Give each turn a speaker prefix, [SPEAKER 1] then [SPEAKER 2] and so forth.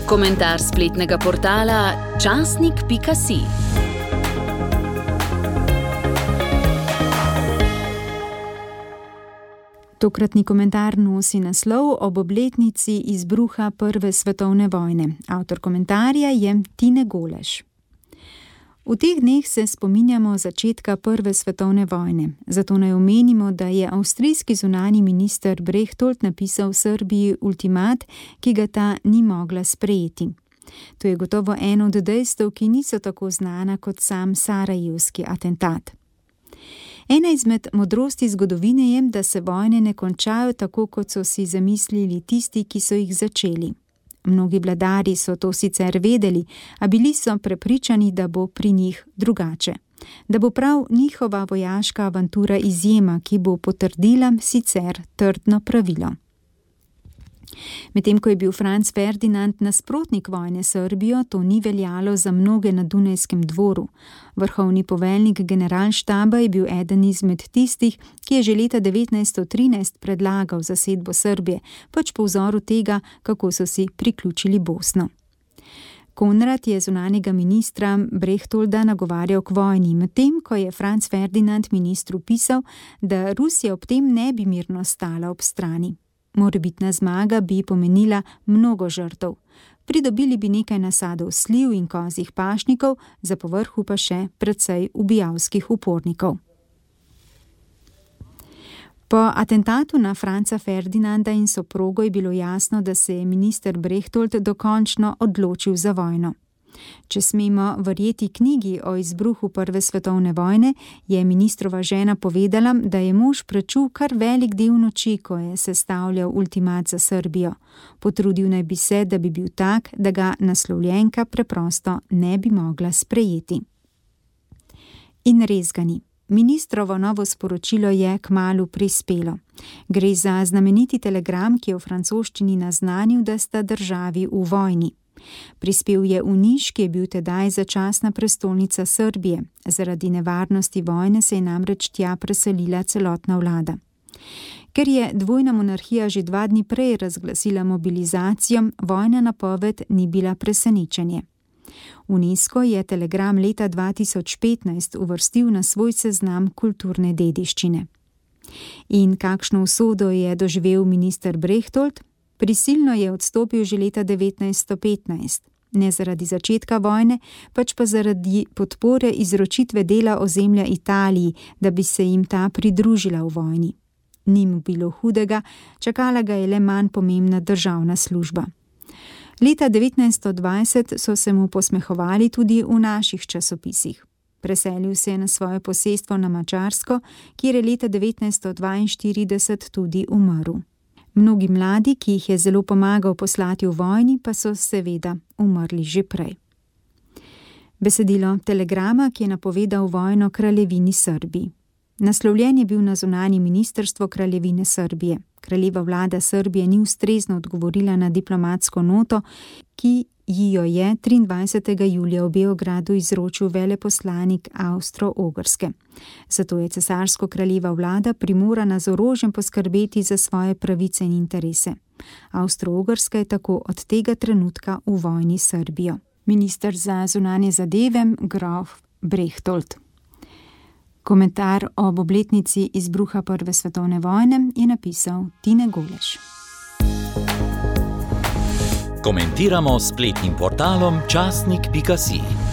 [SPEAKER 1] Komentar spletnega portala časnik.si.
[SPEAKER 2] Tokratni komentar nosi naslov ob obletnici izbruha Prve svetovne vojne. Avtor komentarja je Tine Goleš. V teh dneh se spominjamo začetka Prve svetovne vojne. Zato naj omenimo, da je avstrijski zunanji minister Berchtold napisal Srbiji ultimat, ki ga ta ni mogla sprejeti. To je gotovo eno od dejstev, ki niso tako znana kot sam sarajevski atentat. Ena izmed modrosti zgodovine je, da se vojne ne končajo tako, kot so si zamislili tisti, ki so jih začeli. Mnogi vladarji so to sicer vedeli, a bili so prepričani, da bo pri njih drugače. Da bo prav njihova vojaška avantura izjema, ki bo potrdila sicer trdno pravilo. Medtem ko je bil Franc Ferdinand nasprotnik vojne s Srbijo, to ni veljalo za mnoge na Dunajskem dvoru. Vrhovni poveljnik generalštaba je bil eden izmed tistih, ki je že leta 1913 predlagal zasedbo Srbije, pač po vzoru tega, kako so si priključili Bosno. Konrad je zunanjega ministra Berchtolda nagovarjal k vojni, medtem ko je Franc Ferdinand ministru pisal, da Rusija ob tem ne bi mirno stala ob strani. Morebitna zmaga bi pomenila mnogo žrtev. Pridobili bi nekaj nasadov sliv in kozjih pašnikov, za povrhu pa še precej ubijalskih upornikov. Po atentatu na Franca Ferdinanda in soprogo je bilo jasno, da se je minister Berchtold dokončno odločil za vojno. Če smemo verjeti knjigi o izbruhu Prve svetovne vojne, je ministrova žena povedala, da je mož prečul kar velik del noči, ko je sestavljal ultimat za Srbijo. Potrudil naj bi se, da bi bil tak, da ga naslovljenka preprosto ne bi mogla sprejeti. In res ga ni. Ministrovo novo sporočilo je kmalu prispelo. Gre za znameniti telegram, ki je v francoščini naznanil, da sta državi v vojni. Prispel je v Niš, ki je bil tedaj začasna prestolnica Srbije. Zaradi nevarnosti vojne se je namreč tja preselila celotna vlada. Ker je dvojna monarhija že 2 dni prej razglasila mobilizacijo, vojna napoved ni bila presenečenje. UNESCO je telegram leta 2015 uvrstil na svoj seznam kulturne dediščine. In kakšno usodo je doživel minister Berchtold? Prisilno je odstopil že leta 1915, ne zaradi začetka vojne, pač pa zaradi podpore izročitve dela ozemlja Italiji, da bi se jim ta pridružila v vojni. Ni mu bilo hudega, čakala ga je le manj pomembna državna služba. Leta 1920 so se mu posmehovali tudi v naših časopisih. Preselil se je na svoje posestvo na Madžarsko, kjer je leta 1942 tudi umrl. Mnogi mladi, ki jih je zelo pomagal poslati v vojni, pa so seveda umrli že prej. Besedilo telegrama, ki je napovedal vojno kraljevini Srbiji. Naslovljen je bil na zunanje ministrstvo kraljevine Srbije. Kraljeva vlada Srbije ni ustrezno odgovorila na diplomatsko noto, ki ji jo je 23. julija v Beogradu izročil veleposlanik Avstro-Ogrske. Zato je cesarsko-kraljeva vlada primorana z orožjem poskrbeti za svoje pravice in interese. Avstro-Ogrska je tako od tega trenutka v vojni s Srbijo. Minister za zunanje zadeve grof Berchtold. Komentar ob obletnici izbruha Prve svetovne vojne je napisal Tine Goleš.
[SPEAKER 3] Komentiramo s spletnim portalom časnik.si.